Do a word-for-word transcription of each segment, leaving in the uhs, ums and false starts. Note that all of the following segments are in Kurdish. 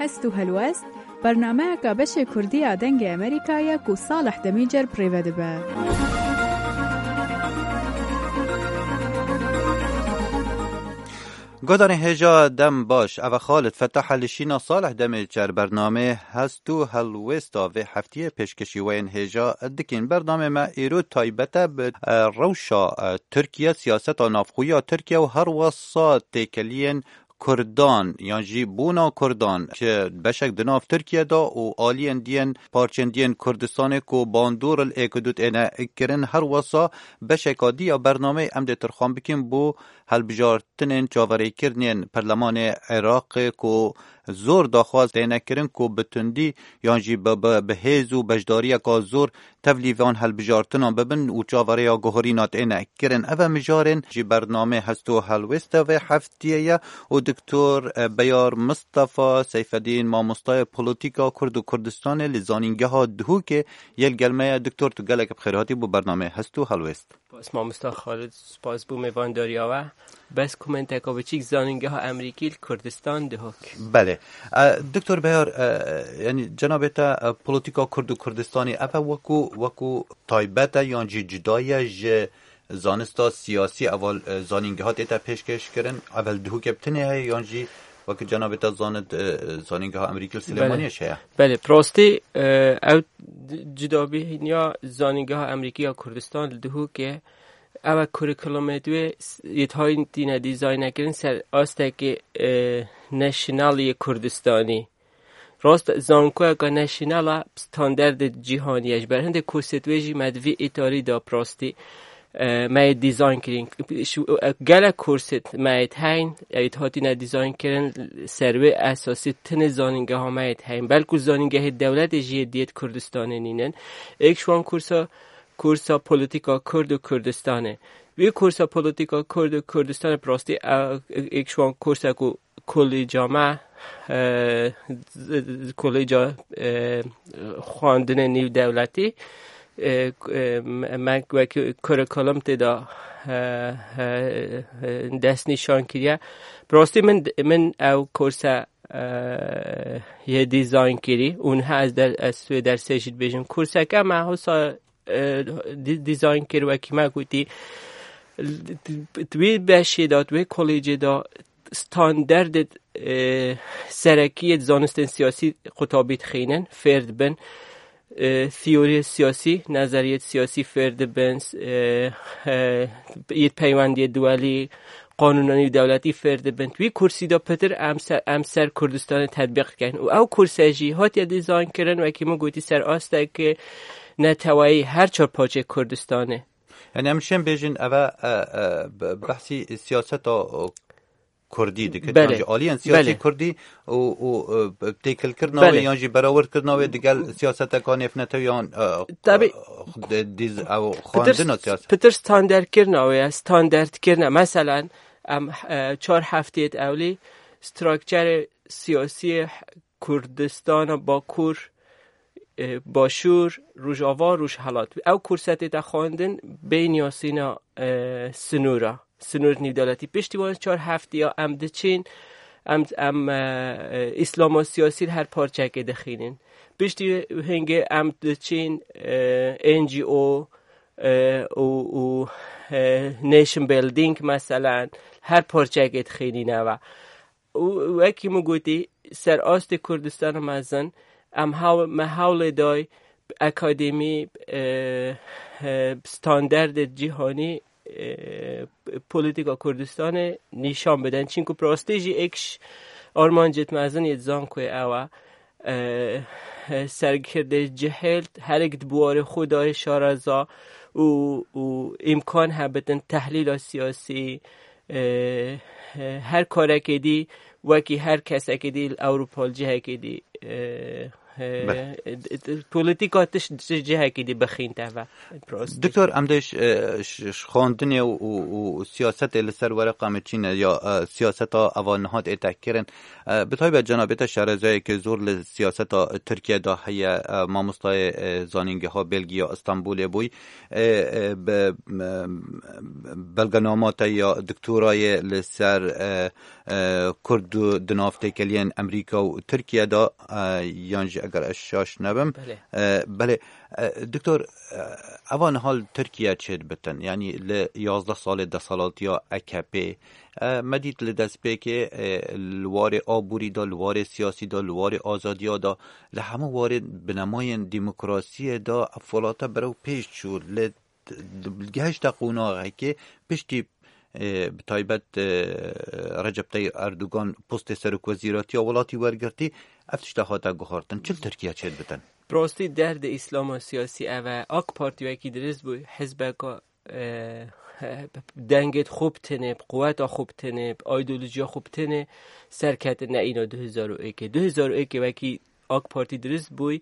Hest û helwest, bernameyeka beşê Kurdî ya Dengê Amerîka ye ku Salih Demîcer bi rê ve dibe. Guhdarên hêja dem baş, ev e Xalid Fetah e li şîna Salih Demîcer bernamê Hest û Helwêsta vê heftiyê pêşkêşî we yên hêja dikîn. Bernamê me îro taybet e bi, e, rewşa, e, Tirkiye, siyaseta navxwe ya Tirkiye û her wesa têkeliyên Kurdan yan jî bûna Kurdan ji beşek di nav Tirkiye de û aliyên diyên parçên diyên Kurdistanê ku bandor li êk û du têne kirin, her wesa beşeka dî ya bernameyê em dê tirxan bikin bo hilbijartinên çaverêkirinên Perlemanê Iraqê ku zor daxwaz têne kirin ku bi tundî yan jî bi, bi, bi hêz û beşdariyeka zor tevlî van hilbijartinan bibin û çaverêya guherîna têne kirin. Ev e mijarên ji bernamê Hest û Helwêsta vê heftiyê ye û Doktor Beyar Mistefa Seyfedîn, mamostayê polîtîka Kurd û Kurdistanê li Zanîngeha Duhokê yê li gel me ye. Doktor, tu gelek bi xêr hatî bo bernamê Hest û Helwêst. Spas mamosta Xalid, spas bo mêvandariya we. Bes komenteka biçîk, Zanîngeha Amerîkî li Kurdistan, Duhok. Belê. E, Doktor Beyar, e, yanî cenabê te, e, polîtîka Kurd û Kurdistanê, ev e wekû, wekû taybet e yan jî cuda ye ji zanista siyasî, eval, e, zanîngeha tête pêşkêş kirin, evel Duhokê bi tinê heye yan jî wekî cenabê te zanit, e, zanîngeha Amerîkî li Belê. Silêmaniyê jî heye? Belê, bi rastî, e, ew di-, cudabîhinya Zanîngeha Amerîkî ya Kurdistan li Duhokê, ew e kurîkulumê wê s-, yê hatîne dîzayn kirin ser astekê, e, national yê Kurdistanî. Rast, zankoyeka national e, standardê cîhanî ye. Ji ber hindê kursê wê jî me di vî îtarî de bi rastî, e, me yê dîzayn kirin. Şu, e, gelek kursê me yê heyn, yê hatîne dîzayn kirin, ser wê esasî tinê zanîngeha me yê heyn. Belkû zanîngehê dewletê jî yê diyê di Kurdistanê nînin. Êk ji wan kursa, kursa polîtîka Kurd û Kurdistanê. Wî kursa polîtîka Kurd û Kurdistanê bi rastî, e, êk ji wan kursa ku kolîca me, e, z-, z-, kolîca, e, xwendinê nîvdewletî, e, e, me, me wekî kurîkulum tê de, e, e, e, destnîşan kiriye. Bi rastî min, min ew kurse, e, yê dîzayn kirî û niha ez der-, ez wê dersê jî dibêjim. Kurseke me hosa, e, dî-, dîzayn kir, wekî me gotî, di, di, di wî beşê de, di wê kolêcê de standardê, e, serekî yê zanistên siyasî qutabî dixînin, fêr dibin. E, teoriyê siyasî, nezeriyê siyasî fêr dibin, e, e, yê peywendiyê duwelî, qanûna nîvdewletî fêr dibin. Wî kursî de pitir em ser, em ser Kurdistanê tetbîq dikin. Û ew kurse jî hatiye dîzayn kirin, wekî min gotî, ser astekê neteweyî her çar parçeyê Kurdistanê. Yani em şên bêjin eve, e, e, be-, behsî siyaseta, e, Kurdî dike. Belê. Yan jî aliyên siyasî Belê. Kurdî û, û, e, têkilkirina wê Belê. Yan jî berawirkirina wê digel siyaseteka nêvnetew yan, e, Tabii. E, de-, diz-, ew Pitir, xwendina siyasî. Pitir standardkirina wê ye, standardkirina. Meselen, em, e, çar heftiyê ewlî strukturê siyasî Kurdistana Bakur, e, Başûr, Rojava, Rojhelat. Ew kurse tête xwendin bê niyasîna, e, sinûra, sinûr nîvdewletî. Piştî wan çar heftiya em diçin, em, em, e, e, îslama siyasî li her parçekê dixînin. Piştî hingê em diçin, e, N G O, e, û, û, e, nation building, meselen, her parçekê dixînîne ve. Û wekî min gotî, ser astê Kurdistana mezin, em haw-, me hewlê day akademî, e, e, standardê cîhanî, e, polîtîka Kurdistanê nîşan bidin. Çimkû bi rastî jî êk ji armancêt mezin yê zankoyê ew e. E, e, serkirdê cihêl herek di biwarê xwe de yê şareza û, û îmkan hebitin tehlîla siyasî, e, e, her karekê dî wekî her kesekê dî li Ewropa li cihekê dî, e, Belê. Polîtîka tişt ji cihekî dî bixîn teve. Doktor, em dê ji xwendinê û siyasetê li ser wereqa me çîne ya siyaseta eva niha tê tehkirin. Bi taybet cenabê te şarezayeke zor li siyaseta Tirkiye de heye, mamostayê zanîngeha Belgiya Stenbolê bûy. Bi belgenama te ya doktorayê li ser Kurd û di nav têkeliyên Amerîka û Tirkiye de, yan jî eger ez şaş nebim. Belê. Belê. Doktor, eva niha li Tirkiye çêdibitin, yanî li yazdeh salê desthilatiya A K P, me dît li destpêkê, li warê aborî de, li warê siyasî de, li warê azadiya de, li hemû warê binemayên demokrasiyê de ev welate berew pêş çû. Li gehişte qonaxekê piştî, e, bi taybet, e, Recep Tayyip Erdogan postê serokwezîratiya welatî wergirtî, ev tişta hate guhartin. Çi li Tirkiye çêdibitin? Bi rastî derdê Îslama siyasî ev e. AK Partî wekî dirist bû, hizbeka, e, dengê xwe bi tenê, bi quweta xwe bi tenê, bi îdeolojiya xwe bi tenê serketin ne îna du hezar û êkê. Du hezar û êkê wekî AK Partî dirist bûy,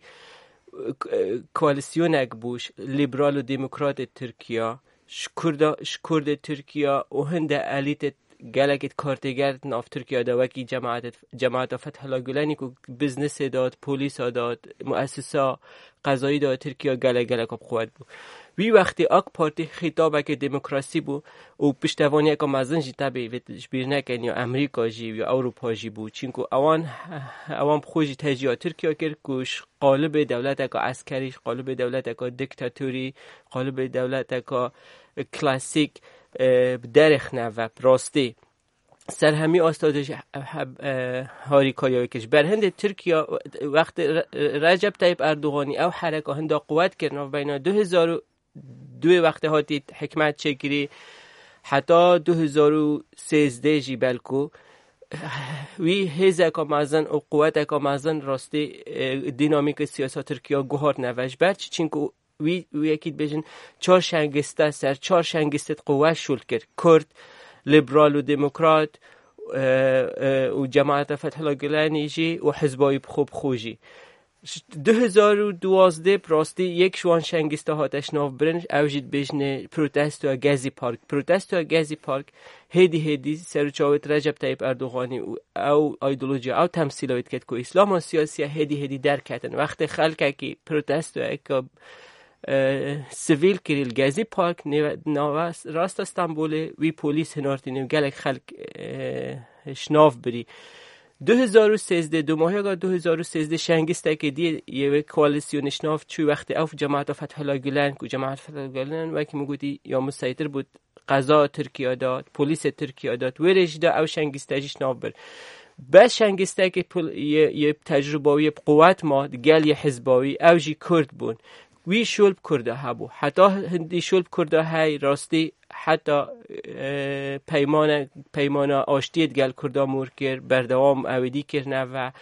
koalisyonek bû, liberal û demokratê Tirkiya, ji Kurda, ji Kurdê Tirkiya û hinde elîtê gelekê kartêger di nav Tirkiya de wekî cemaetê, cemaeta Fethullah Gulenî ku biznesê de, polîsa de, muessisa qezayî de Tirkiya gelek gelek bi quwet bû. Wî wextê AK Partî xîtabeke demokrasî bû û piştevaniyeke mezin jî tebî vê ji bîr nekin ya Amerîka jî ya Ewropa jî bû. Çinku ewan, ewan bi xwe jî tecîya Tirkiya kir ku ji qalibê dewleteka eskerî, ji qalibê dewleteka diktatorî, qalibê dewleteka klasîk, e, bi derêxine ve, bi rastî. Ser hemî asta de jî he-, he-, e, harîkariya wê kir. Ji ber hindê Tirkiya wextê Re-, Re-, Recep Tayyip Erdoganî ew hereka hinda quwet kir navbeyna du hezar û duê wextê hatî hikmet çêkirî heta du hezar û sêzdeh jî belku wî hêzeka mezin û quweteka mezin rastî, e, dînamîka siyasa Tirkiya guhart neve. Ji ber çi? Çinku wî, wî yekî dibêjin çar şengiste ser çar şengiste di quwet şûl kir. Kurd, liberal û demokrat, e, e, û cemaeta Fethullah Gulenî jî û hizba wî bi xwe bi xwe jî. Ji du hezar û duwazdeh bi rastî yek ji wan şengista hate şinavbirin, ew jî dibêjinê protestoya Gezi Park. Protestoya Gezi Park hêdî hêdî ser û çavêt Recep Tayyip Erdoganî û ew îdeolojiya, ew temsîla wê diket ku Îslama siyasî ye, hêdî hêdî derketin. Wextê xelkekî protestoyeke, e, sivîl kirî li Gezi Park, nêve-, nava rasta Stenbolê, wî polîs hinartî nêv gelek xelk, e, şinav birî. Du hezar û sêzdeh, dumahiya du hezar û sêzdeh şengistekê dî yê wê koalîsyonê şinav çû wextê ew cemaeta Fethullah Gulen, ku cemaeta Fethullah Gulen wekî min gotî ya museytir bû qeza Tirkiye de, polîsê Tirkiye de, wê rê jî de ew şengiste jî şinav bir. Bes şengistekê pil-, yê, yê tecrûba wî yê bi quwet ma, gel yê hizba wî, ew jî Kurd bûn. Wî şûl bi Kurda hebû. Heta hindî şûl bi Kurda hey rastî heta, e, peymane-, peymana aştiyê digel Kurda mûr kir, berdewam ew êdî kirine ve.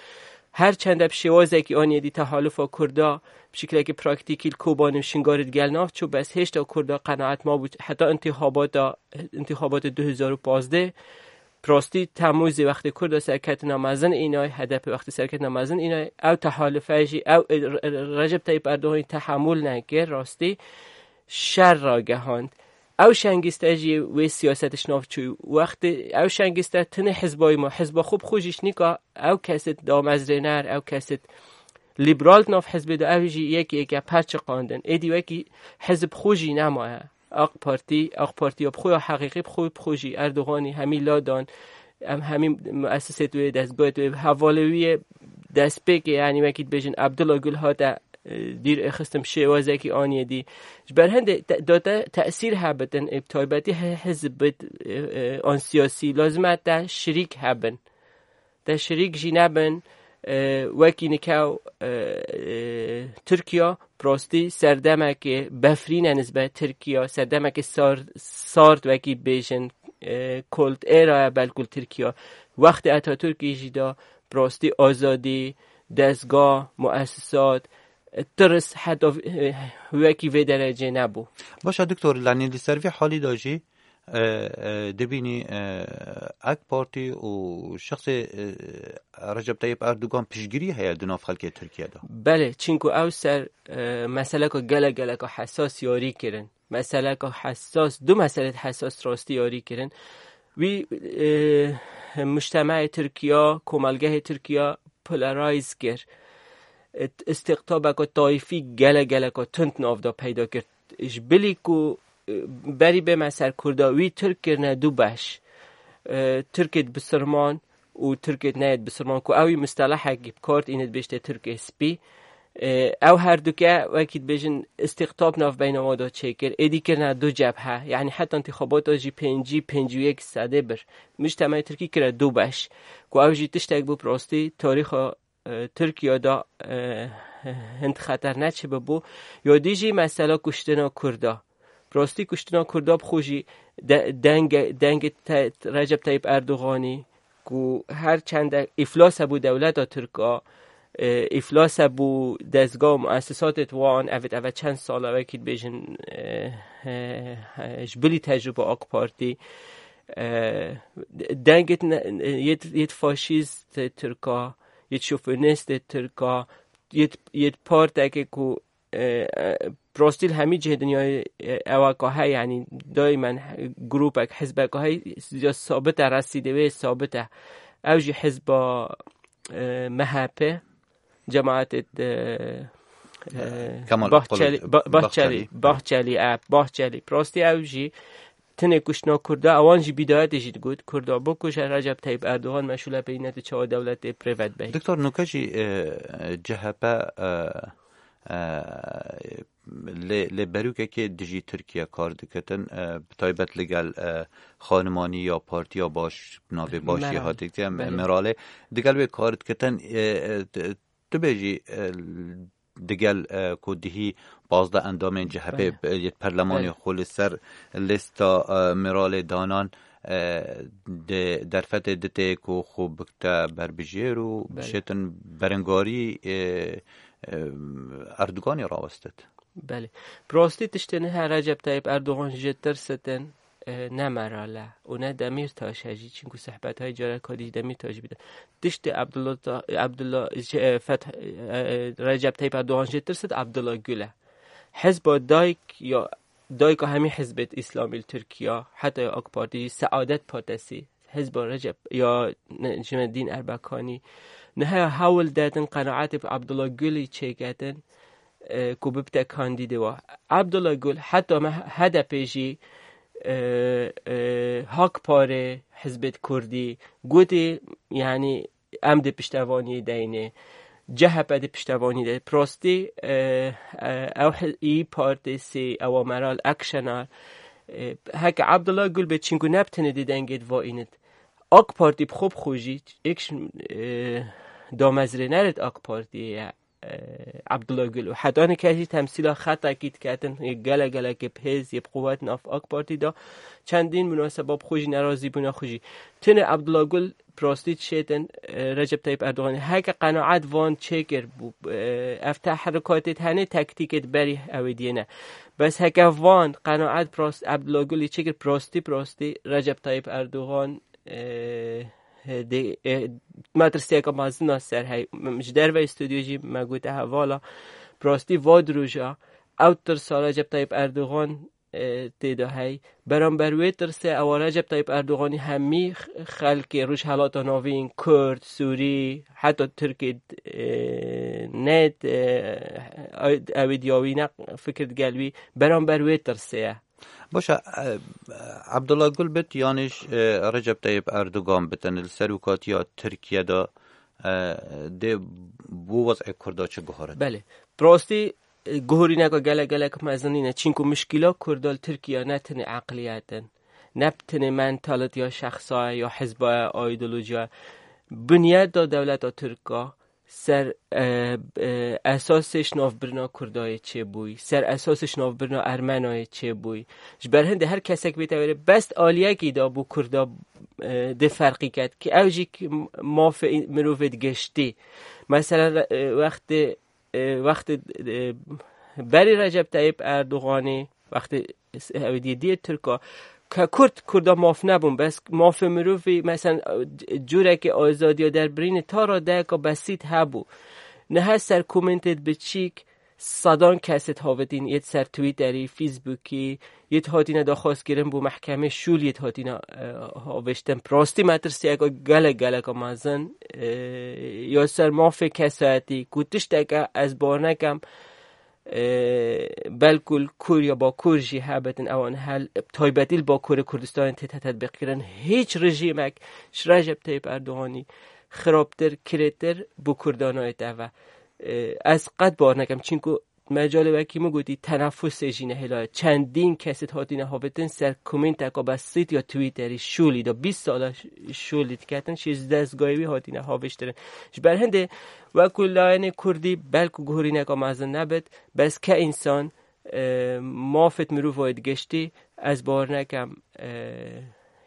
Her çende bi şêwazekî aniyê dî tehalufa Kurda bi şiklekî praktîkî li Kobanê û Şingalê digel nav çû, bes hêşta Kurda qenaet mabû heta întîxabata, întîxabatê du hezar û pazdeh. Bi rastî Temmûzê wextê Kurda serketina mezin înay, H D P wextê serketina mezin înay, ew tehalufe jî, ew, e, Re-, Recep Tayyip Erdoganî tehemûl nekir, rastî şer ragehand. Ew şengiste jî wê siyasetê şinav çû. Wextê ew şengiste tinê hizbayî ma, hizba xwe bi xwe jî şinîka, ew kesê damezrêner, ew kesê liberal di nav hizbê de, ew jî yek yeke perçiqandin. Êdî wekî hizb xwe jî nemaye. AK Partî, AK Partiya bi xwe ya heqîqî bi xwe, bi xwe jî Erdoganî hemî ladan, em hemî muessisê wê, dezgahê wê, hevalê wî yê destpêkê, yanî wekî dibêjin Abdullah Gül hate, e, dîr êxistin bi şêwazekî aniyê dî. Ji ber hindê te-, da te tesîr hebitin, ê bi taybetî he-, hizb bit, e, e, an siyasî, lazim e te şirîk hebin. Te şirîk jî nebin, e, wekî nikew, e, e, Tirkiya, bi rastî serdemekê befrîn e nisbet Tirkiya, serdemekê sar-, sard wekî bêjin, e, kold êra ye belkul Tirkiya. Wextê Atatürkî jî da bi rastî azadî, dezga, muessisat, e, tirs heta v-, e, wekî vê derecê nebû. Başa doktor, lanî li ser vê halî de jî, e, e, dibînî, e, AK Partî û şexsê, e, Recep Tayyip Erdogan piştgirî heye di nav xelkê Tirkiye de? Belê, çinku ew ser, e, meseleka gelek geleka hesas yarî kirin. Meseleka hesas, du meselê hesas rastî yarî kirin. Wî, e, mujtemeyê Tirkiya, komelgehê Tirkiya polarize kir. E, îstiqtabeka tayfî gelek geleka tund nav de peyda kir. Ji bilî ku, e, berî bême ser Kurda, wî Tirk kirine du beş. E, Tirkêt bisirman û Tirkêt neyêt bisirman, ku ew î mustelehekî bi kar tîne, dibêjte Tirkê spî. E, ew herduke, wekî dibêjin, îstiqtab navbeyna wan de çêkir. Êdî kirine du cebhe. Yanî heta întîxabata jî pêncî, pêncî û yek sedê bir. Mujtemeyê Tirkî kire du beş. Ku ew jî tiştek bû bi rastî tarîxa, e, Tirkiye de, e, hind xeter neçibibû. Ya dî jî mesela kuştina Kurda. Bi rastî kuştina Kurda bi xwe jî de-, denge-, dengê te-, Recep Tayyip Erdoganî, ku her çende îflas hebû dewleta Tirk a, e, îflas hebû dezga û muessesatê wan, evêt eve çend sal e, wekî dibêjin, e, e, e, ji bilî tecrûba AK Partî, e, dengê ne-, yêt, yêt faşîst Tirk a, yêt şofinîst Tirk a, yêt, yêt parteke ku e, e, bi rastî li hemî cihê dinyayê, e, ewa ka heye, yanî daimen grûpek, hizbek ka heye, ya sabit e, resîdê wê sabit e. Ew jî hizba, e, M H P, cemaetê, e, e, Kemal Bahçeli, Kılıç-, Ba-, Bahçeli, Bahçeli. Bahçeli, e, Bahçeli. Bi rastî ew jî tinê kuştina Kurda, ewan jî bîdayetê jî digot, Kurda bikuje, Recep Tayyip Erdogan meşûl e, peyî nete çawa dewletê privet bey. Doktor, nuke jî, e, C H P, e, e, lê, lê berûkekê dijî Tirkiye kar dikitin, e, bi taybet li gel, e, xanimanî ya partiya baş, navê baş jî Meral. Hatiye, Belê. Meralê. Digel wê kar dikitin, e, e, t-, tu bêjî, e, digel, e, ku dihî pazdeh endamên C H P Belê. Yê perlemanê Belê. Xwe li ser lista, e, Meralê danan, e, di derfetê ditê ku xwe bikte berbijêr û Belê. Bişêtin berengarî, e, e, Erdoganê rawestit. Belê. Bi rastî tiştê niha Recep Tayyip Erdogan ji tirsitin, e, ne Meral e û ne Demîrtaş e jî, çinku sehbetayê careka dî ji Demîrtaş bide. Tiştê Abdullah Ta-, Abdullah, şey, e, Feth-, e, Recep Tayyip Erdogan jê tirsit Abdullah Gül e. Hizba dayk ya, dayka hemî hizbêt Îslamî li Tirkiye, heta ya AK Partî jî, Saadet Partisi, hizba Recep ya ne-, Cimedîn Erbekanî, niha hewl dedin qenaetê bi Abdullah Gülî çêketin, e, ku bibte kandîdê wa. Abdullah Gül heta me H D P jî, e, e, Hak Parê, hizbêt Kurdî, gotî, yanî em di piştevaniyê deyne, C H P di piştevaniyê de. Prostî, e, e, ew hi-, î Partî sê, ewa Meral Akşener, e, heke Abdullah Gül bê, çinku ne bi tenê di dengê de va înit. AK Partî bi xwe bi xwe jî, êk ji, e, damezrênerêt AK Partiyê ye, e, Abdullah Gül. Û heta nika jî temsîla xetekî diketin, yê gelek gelekê bi hêz, yê bi quwet nav AK Partî de. Çendîn munaseba bi xwe jî, nerazîbûna xwe jî. Tenê Abdullah Gül prostî dişêtin, e, Recep Tayyip Erdoganî. Heke qenaet van çêkir bû, e, ev teherikatê hene, taktîkê berî ew ê diyêne. Bes heke van qenaet prost-, Abdullah Gülî çêkir, prostî, prostî Recep Tayyip Erdogan, e, dê, e, metirsiyeke mezin a ser hey. M-, ji derveyî stûdyo jî me gote hevala. Prostî va di roja ew tirsa Recep Tayyip Erdogan, e, tê de hey. Beramber wê tirsê ewa Recep Tayyip Erdoganî hemî x-, xelkê Rojhelata Navîn, Kurd, Sûrî, heta Tirkê, e, ne, e, ew ê diyawî ne fikir digel wî. Beramber wê tirsê ye. Baş e, e, Abdullah Gül bit, yanî, e, Recep Tayyip Erdogan bitin li serokatiya Tirkiye de, e, dê bo wez'ê Kurda çi guharit? Belê. Bi rastî, e, guhorîneka gelek gelek mezin nîne. Çinku muşkîla Kurda li Tirkiye ne tenê eqliyet in, ne tenê mentalitiya şexsa ye, ya hizba ye, ideolojiya ye. Bunyeta dewleta Tirka ser, e, e, esasê şinavbirina Kurdayê çêbûyî, ser esasê şinavbirina Ermenayê çêbûyî. Ji ber hindê her kesek bête wêrê, bes aliyekî da bû Kurda, e, dê ferqî ket, ki ew jî ki mafê mirovê digiştî. Mesela, e, wextê, e, wextê, e, berî Recep Tayyip Erdoganê, wextê ew diyê diyê Tirka, ke Kurd, Kurda maf nebûn, bes mafê mirovî, mesela, c-, curekê azadiya derbirînê ta radeyeka besît hebû. Niha ser komentêt biçîk, sedan kesêt havêtîn, yêt ser Twitterî, Facebookî, yêt hatîne daxwazkirin bo mehkemê şûl yêt hatîne, e, havêştin. Bi rastî metirsiyeka gelek, geleka mezin, e, ya ser mafê kesayetî, ku tişteke ez bar nekem, e, belkû li Kur ya Bakur jî hebitin, ewan hel, taybetî li Bakurê Kurdistanê tête tetbîqkirin. Hiç rejîmek ji Recep Tayyip Erdoganî xirabtir, kirêtir bo Kurdan nayêt eve. E, ez qet bar nekem, çinku mecalê wekî min gotî, tenefusê jî nehêlaye. Çendîn kesêt hatîne havêtin ser komênteka besît ya Twitterî, şûlî de, bîst sala ş-, şûlî diketin, şêzdeh dezgayê wî hatîne havêştirin. Ji ber hindê, wekû layenê Kurdî, belkû guhorîneka mezin nebit, bes ke însan, e, mafêt mirovayê digiştî, ez bar nekem, e,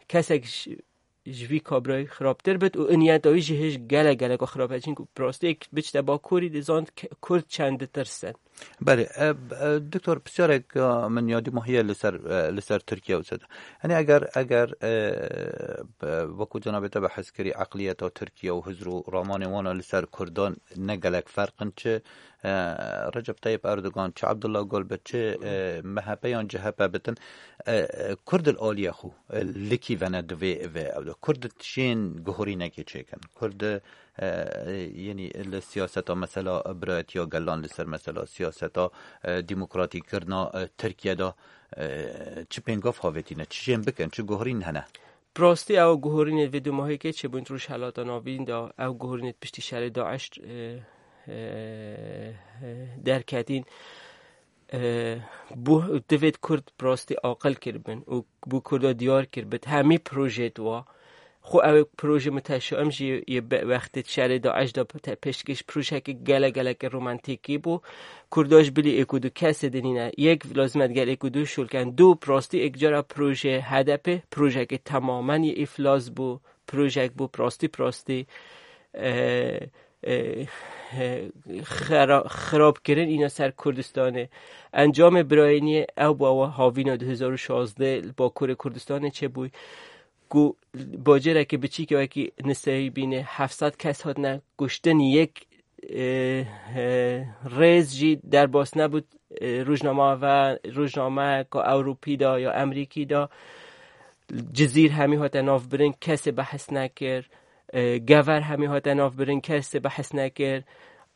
kesek ji, ji vî kabrayî xirabtir bit û niyeta wî jî hêj gelek, geleka xirab e. Çinku bi rastî yek biçte Bakurî dizant ke-, Kurd çend ditirsin. Belê, e, e, Doktor, pisyarek, e, min ya dîmahî ye li ser, e, li ser Tirkiye û seda. Yanî eger, eger, e, e, wekû cenabê te behs kirî, eqliyeta Tirkiye û hizr û ramanê wan li ser Kurdan ne gelek ferq in, çi, e, Recep Tayyip Erdogan, çi Abdullah Gul bit, çi, e, M H P yan C H P bitin, e, e, Kurd li aliyê xwe, e, likî vene divê vê ew de. Kurd şên guhorînekê çêkin. Kurd, e, yenî li siyaseta mesela birayetiya gelan, li ser mesela siyaseta, e, demokratîkirina, e, Tirkiye de, e, çi pêngav havêtîne, çi jên bikin, çi guhorîn hene? Bi rastî ew guhorînê vê du mahîkê çêbûn Rojhelata Navîn de, ew guhorînê piştî şerê DAIŞ, e, e, e, derketîn. E, bû divêt Kurd bi rastî aqil kiribin û bû Kurda diyar kiribit hemî projeyêt wa. Xwe ew proje muteşaim jî yê be-, wextê şerê DAIŞ de te-, pêşkêş projeyeke gele geleke romantîkî bû. Kurda ji bilî êk û du kesê dinîne. Yek lazim e digel êk û du şûl ken. Du bi rastî êk cara proje H D P, projeyeke temamen yê îflas bû. Projeyek bû bi rastî, bi rastî, e, e, e, xera-, xirabkirin îna ser Kurdistanê. Encamê birayîniyê ew bû, ew havîna du hezar û şazdeh li Bakurê Kurdistanê çêbûyî, ku bacêrekî biçîkê wekî Nisêbînê heft sed kes hatine kuştin, yek, e, e, rêz jî derbas nebû, e, rojnama ve, rojnameyeka Ewropî de ya Emerîkî de. Cizîr hemî hate navbirin, kesê behs nekir. E, Gever hemî hate navbirin, kesê behs nekir.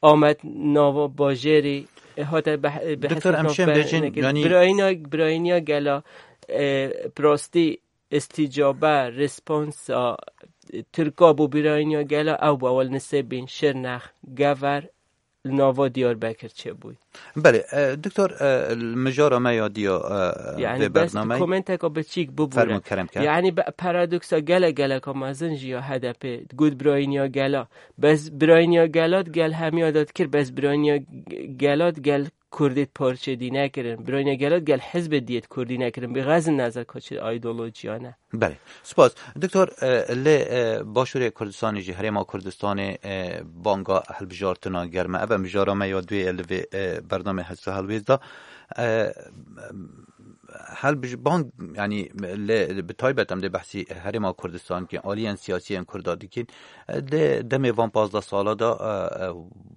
Amed nava bajêrî, e, hate beh-, e, behs Doktor, em şên navbe-, bêjin, nekir. Yanî birayîna, birayîniya gela, e, bi rastî îstîcabe, responsa, e, Tirka bo birayîniya gela ew bû, ewil Nisêbîn, Şirnex, Gever, li nava Diyarbekir çêbûyî. Belê, e, Doktor, e, li mijara me ya diya, e, Yani vê bes bernameyê. Komenteka biçîk bibûre. Fermo, kerem ke. Yani be-, paradoksa gele geleka mezin jî ya H D P, got birayîniya gela. Bes birayîniya gela gel hemiya de dikir, bes birayîniya g-, gela gel Kurdê parçe dî nekirin. Birayîniya gela gel hizbê diyêt Kurdî nekirin. Bi xezin nezer ka çi ideolojiya ne. Belê. Spas. Doktor, e, lê, e, Başûrê Kurdistanê jî, Herêma Kurdistanê, e, banga hilbijartina germ e. Ev e mijara me ya duyê li vê, e, bernamê Hesa Helwêst de. E, helbij-, bang, yanî, lê, bi taybet em dê behsî Herêma Kurdistan dikin, aliyên siyasî yên Kurda dikin. E, lê demê van pazdeh sala de, e, e,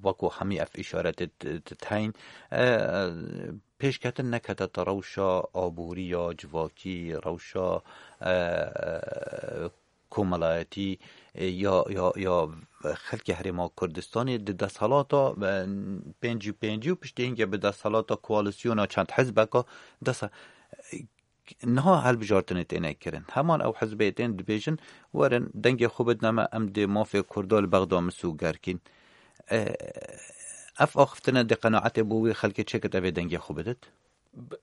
wekû hemî ev îşaretê t-, t-, teyîn, e, e, pêşketin nekete te rewşa aboriya, civakî, rewşa, e, komelayetî, e, ya, ya, ya xelkê Herêma Kurdistanê di desthilata, e, pêncî û pêncî û piştî hingê bi desthilata koalîsyona çend hizbeka dest, niha hilbijartinê têne kirin. Heman ew hizbê tên dibêjin, werin dengê xwe bidine me, em dê mafê Kurda li Bexda misûger kîn. E, ev axiftine dê qenaetê bo wî xelkê çêkit, ev ê dengê xwe bidit? Bi,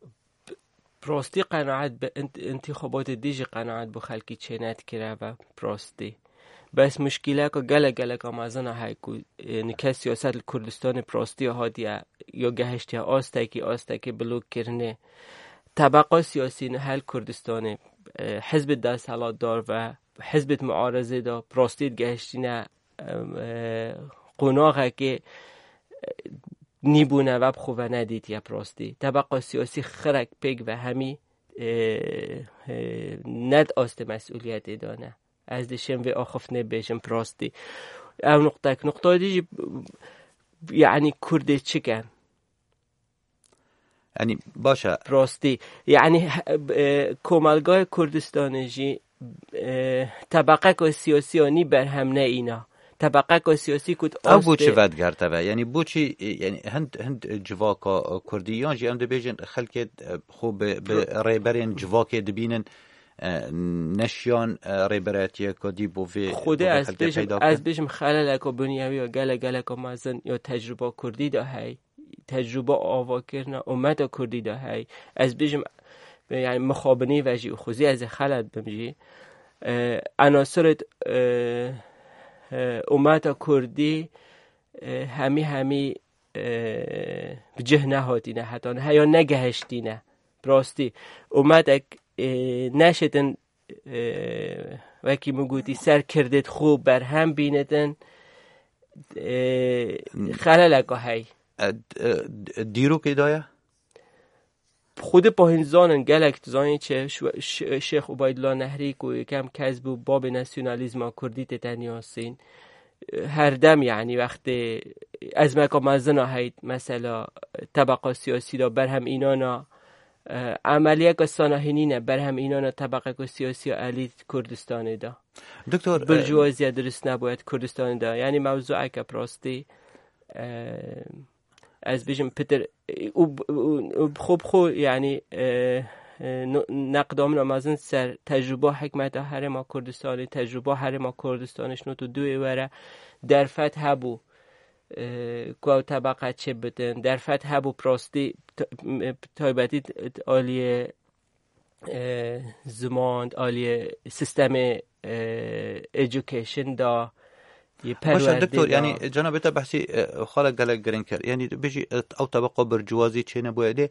bi, bi rastî qenaet bi int-, întîxabatê dî jî qenaet bo xelkî çênedikir, ev e bi rastî. Bes muşkîleka gelek, geleka mezin a heye ku, e, nike siyaset li Kurdistanê bi rastî hatiye, ya gehiştiye astekî, astekî bilokkirinê. Tebeqa siyasî niha li Kurdistanê, e, hizbê desthilatdar ve hizbê muarezê de bi rastî digehiştîne, e, e, qonaxekê, e, nîbûne ve bi xwe ve nedîtiye bi rastî. Tebeqa siyasî xirek pêk ve hemî e, e, ne di astê mesûliyetê de ne. Ez dişêm vê axiftinê bêjim bi rastî. Ew nuqtek. Nuqtayê dî jî, yanî Kurdê çi ken? Yanî baş e. Rastî. Yanî, e, komelgayê Kurdistanê jî, e, tebeqeka siyasî ya nî berhem ne îna. Tebeqeka siyasî ku di Ew bo astê çi vedigerte ve? Yanî bo çi, e, yanî hind, hind civaka, e, Kurdî yan jî em dibêjin xelkê, e, xwe bi, bi rêberên civakê dibînin, e, neşiyan, e, rêberetiyeke dî bo vê, Xwedê bo vê ez xelkê bêjim, peyda ez bikin? bêjim xeleleka bunyawî ya gelek, geleka mezin ya tecrûba Kurdî de hey. Tecrûba avakirina umeta Kurdî de hey. Ez bêjim, yanî mixabinî ve jî û xwezî ez ê xelet bim jî. E, enasirê, e, e, umeta Kurdî, e, hemî hemî, e, bi cih nehatîne, heta niha ya negehiştîne. Bi rastî, umetek, e, neşêtin, e, wekî min gotî, ser kirdêt xwe berhem bînitin, e, xeleleka hey. E, d-, e, d-, dîrokê daye? Xwedî pahîn zanin gelek dizanî çi, Şwe-, Ş-, Şêx Ubaydullah Nehrî ku yekem kes bû, babê nasyonalîzma Kurdî tê teniyasîn. Herdem, yanî, wextê ezmeka mezina heyt, mesela, tebeqa siyasî de berhem înana, e, emeliyeka sana hînîne berhem înana tebeqeka siyasî ya elît Kurdistanê de. Doktor, e, Birciwaziya dirust nebûye di Kurdistanê de. Yanî mewzueke bi rastî, e, ez bêjim pitir, û, û, û bi xwe bi xwe, yanî, e, e, no-, neqda min a mezin ser tecrûba hikmeta Herêma Kurdistanê, tecrûba Herêma Kurdistanê ji not û duyê were derfet hebû, e, ku ew tebeqe çi bitin, derfet hebû bi rastî t-, m-, taybetî t-, t-, aliyê, e, ziman, aliyê sistemê, e, education da, yê Baş e, perwerdê doktor, da. Yanî cenabê te behsî, e, xala gelek giring kir. Yanî bêjî, e, ew tebeqa birciwazî çênebûye. Lê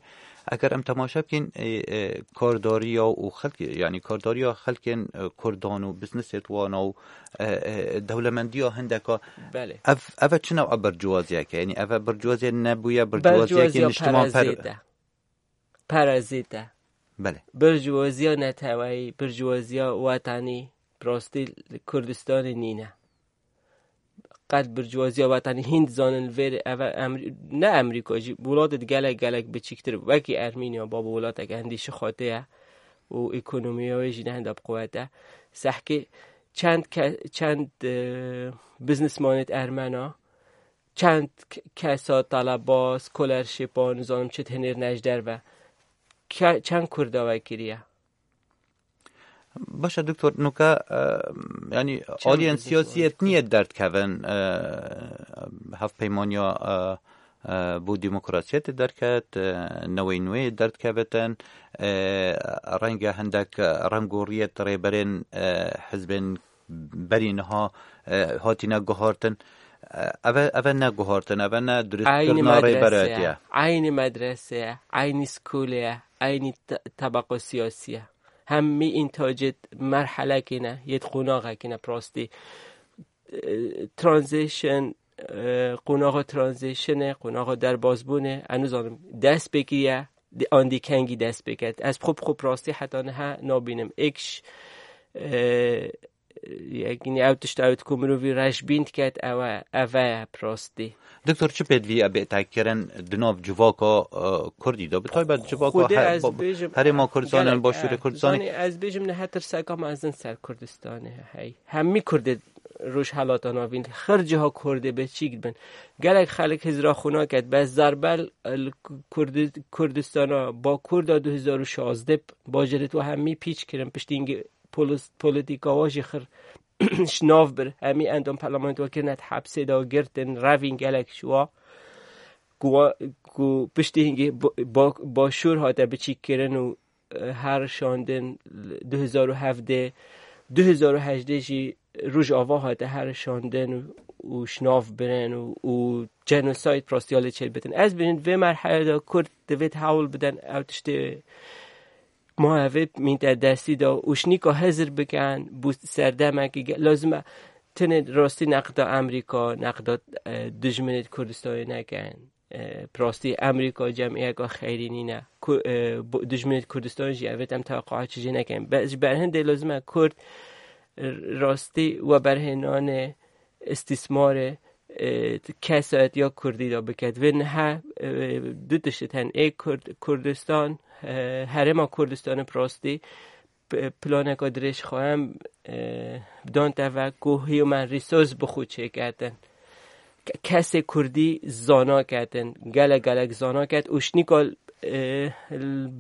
eger em temaşe bikîn, e, e, kardariya û xelkê, yanî kardariya xelkên, e, Kurdan û biznesê wana û, e, e, dewlemendiya hindeka, Belê. ev, ev e çi new'a birciwaziyeke? Yanî ev e birciwaziye nebûye, birciwaziyeke Birciwaziya niştiman per- parazît e. Parazît e. Belê. Birciwaziya neteweyî, birciwaziya wetanî, bi rastî li Kurdistanê nîne. Qet birciwaziya wetanî hîn dizanin li vêr eve Emrî-, ne Emrîka jî, welatê di gelek, gelek biçîktir, wekî Ermîniya, babo welatek endî şixatê ye û ekonomiya wê jî ne henda bi quwet e. Sehkê çend ke-, çend, e, biznesmanêt ermena, çend k-, kesa taleba, scholarship-a, nizanim çi, hinêr ne ji derve. Ke-, çend Kurda we kiriye? Baş e, doktor, nuka, e, yanî aliyên siyasî yê niyê derdkevin, e, hevpeymaniya, e, e, bo demokrasiyetê derket, e, newey nûyê derdkevitin, e, renge hindek rengoriyet rêberên, e, hizbên berî niha, e, hatine guhartin. E, eve, eve ne guhartin, eve ne Eynî duristkirina rêberayetiye. Eynî medrese ye, eynî skolê ye, eynî te-, tebeqa siyasî ye. Hemî întacêt merhelekê ne, yêt qonaxekê ne, bi rastî. E, transition, e, qonaxa transitionê, qonaxa derbazbûnê, ez nizanim, dest pê kiriye, di-, an dî kengî dest pê ket. Ez xwe bi xwe bi rastî heta niha nabînim. Êk ş-, e, yekînî ew tişt ew ku mirovî reşbîn diket, ew e, ev e bi rastî. Doktor, çi pêdivî e bête kirin di nav civaka, e, Kurdî de? Bi taybet civaka Xwedê her-, ez ba-, bêjim, Herêma Kurdistanê, gelek, Başûrê e, Kurdistanê. Zanî, ez bêjim niha tirseka mezin ser Kurdistanê hey. Hemî Kurdê Rojhelata Navîn, her ciha Kurdê biçîk bin. Gelek xelk hizra xwe naket, bes zerbel, e, li Kurdi-, Kurdistana Bakur de du hezar û şazdeh bajêrê we hemî pîç kirin, piştî hingî polis-, polîtîka wa jî xir şinav bir. Hemî endam parlamento kirine di hepsê de girtin, revîn gelek ji wa. Ku wa, ku piştî hingî ba-, ba-, Başûr hate biçîk kirin û, e, her şandin du hezar û hevdeh, du hezar û hejdeh jî Rojava hate her şandin û, û şinav birin û, û genocide rastiya lê çêbitin. Ez bînim vê merhelê de Kurd divêt hewl biden ew tiştê ma evê mînte destî de û şnîka hizir bikin, bû serdemekî ge-, lazim e tenê rastî neqda Amerîka, neqda, e, dijminê Kurdistanê nekin. E, bi rastî Amerîka cemiyeka xeyrî nîne. Ku-, e, bu-, dijminê Kurdistan jî evêt em teweqaha çi jê nekin. Be-, ji ber hindê lazim e Kurd, e, rastî we berhênanê îstîsmarê, e, kesayetiya Kurdî de biket. Vê niha, e, du tişt hene. Ê Kurd-, Kurdistan, e, herêma Kurdistanê bi rastî p-, planeka dirêj xwayem, e, dan te ve ku human resource bi xwe çêketin. Ke-, kesê Kurdî zana ketin, gelek gelek zana ket û şnîka, e,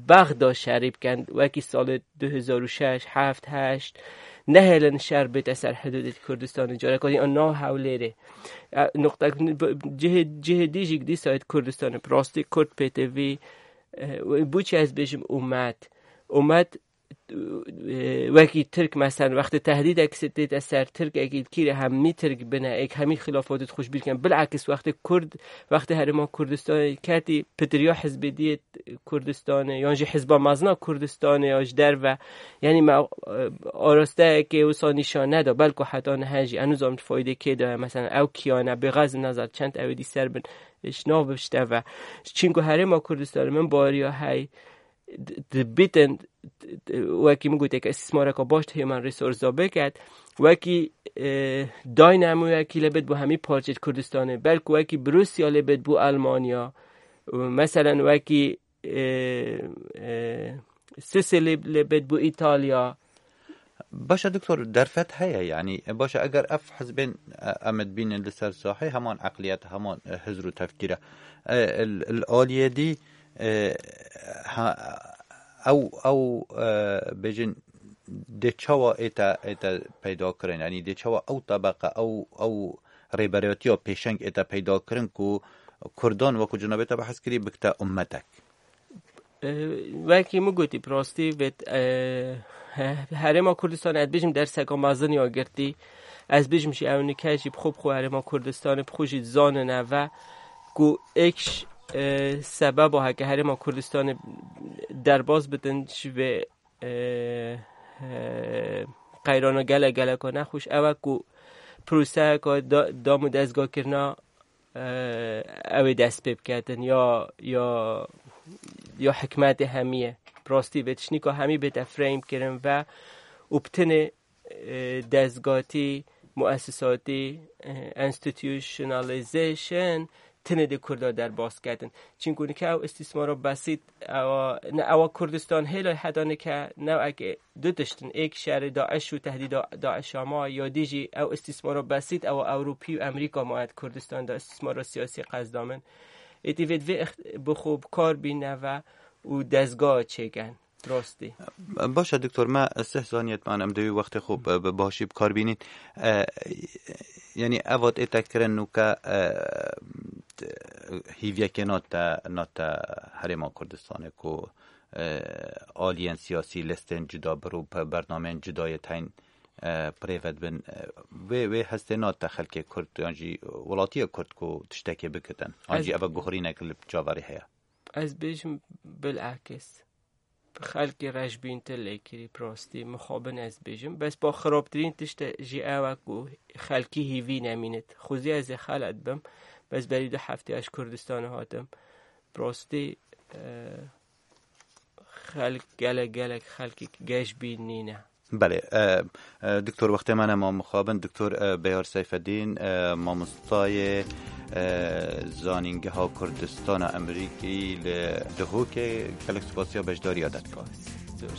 Bexda şerî bikin, wekî salê du hezar û şeş, heft, heşt, nehêlin şer bête ser hidûdê Kurdistanê, careka dî an nav Hewlêrê. E, nuqtek, cihê, cihê dî jî dîsa Kurdistanê, bi rastî Kurd pê tê vî, e, bû çi ez bêjim umet. Umet, e, wekî Tirk, meselen, wextê tehdîdek tête ser Tirkekî, kîrê hemî Tirk bine, êk hemî xilafat xweş bîr kin. Bilakis wextê Kurd, wextê herêma Kurdistanê ketî, pitiriya hizbê diyê Kurdistanê, yan jî hizba mezina Kurdistanê, ya ji derve, yanî me, e, arasteyekê wisa nîşan neda, belku heta niha jî, enu zam faydê kê daye, meselen, ew kiyane, bêxez nazar çend ew ê dî ser bin, ji nav bişte ve. Çinku herêma Kurdistanê min bariya hey, di-, dibitin, wekî min gotê ke îstîsmareka baş di human resource-a biket, wekî, e, Dynamo-yekî lê bit bo hemî parçeyê Kurdistanê, belku wekî Brusya lê bit bo Almanya, û meselen wekî, e, e, Sicily lê bit bo Îtalya. Baş e doktor, derfet heye, yanî, e, baş e, eger ev hizbên, e, em dibînin li ser sahê, heman eqliyet, heman, e, hizr û tefkîr e. E, li, li aliyê dî, e, ha, ew, ew, e, bêjin, dê çawa ête, ête peyda kirin, yanî dê çawa ew tebeqe, ew, ew rêberiyatiya pêşeng ête peyda kirin ku Kurdan, wekî cenabê te behs kirî, bikte ummetek. E, wekî min gotî, bi rastî vê, e, he-, herêma Kurdistan, ez bêjim, derseka mezin ya girtî. Ez bêjim jî ew nike jî bi xwe, bi xwe herêma Kurdistanê bi xwe jî dizanine ve ku êk, e, sebeba heke herêma Kurdistanê derbas bitin ji vê, e, e, qeyrana gelek geleka nexweş ew e ku proseyeka da-, dam û dezgahkirina, e, ew ê dest pê biketin, ya, ya, ya hikmetê hemî ye. Bi rastî vê tiştnîka hemî bête frame kirin ve û bi tenê, e, dezgatî, muesisatî, e, institutionalization tenê dê Kurda derbas ketin. Çinku nike ew îstîsmara besît, ewa, ne ewa Kurdistan hêla heta nike newekê du tiştin, êk şerê DAIŞ û tehdîda DAIŞ a ma, ya dî jî ew îstîsmara besît, ew Ewropî û Amerîka ma di Kurdistan de îstîsmara siyasî qezda min. Êdî vê divê ex-, bi xwe bi kar bîne ve û dezga çêken. Rastî. Baş e, doktor, me sih zaniyet man em divê wextê xwe bi, bi başî bi kar bînin. E, yanî evat ê te kirin nûke, e, hîviyekê nate, nate herêma Kurdistanê ku, e, aliyên siyasî listên cuda bir û pe-, bernameyên cuda yê teyn, e, pirêve dibin. E, wê, wê hestê nate xelkê Kurd yan jî welatiyê Kurd ku tiştekê bikitin. An jî eve guhorînek li caverê heye. Ez bêjim bilakis. Xelkê reşbîntir lê kirî, bi rastî mixabin ez bêjim. Bes ba xirabtirîn tişt e jî ew e ku xelkî hîvî nemînit. Xwezî ez ê xelet bim. Bes berî du heftê ez ji Kurdistanê hatim. Bi rastî, e, xelk gelek, gelek xelkî geşbîn nîne. Belê, e, e, doktor, wextê me nema mixabin. Doktor, e, Beyar Seyfeddîn, e, mamostayê, e, Zanîngeha Kurdistana Amerîkî li Duhokê, gelek spasiya beşdariya te dikim. Spas. Zor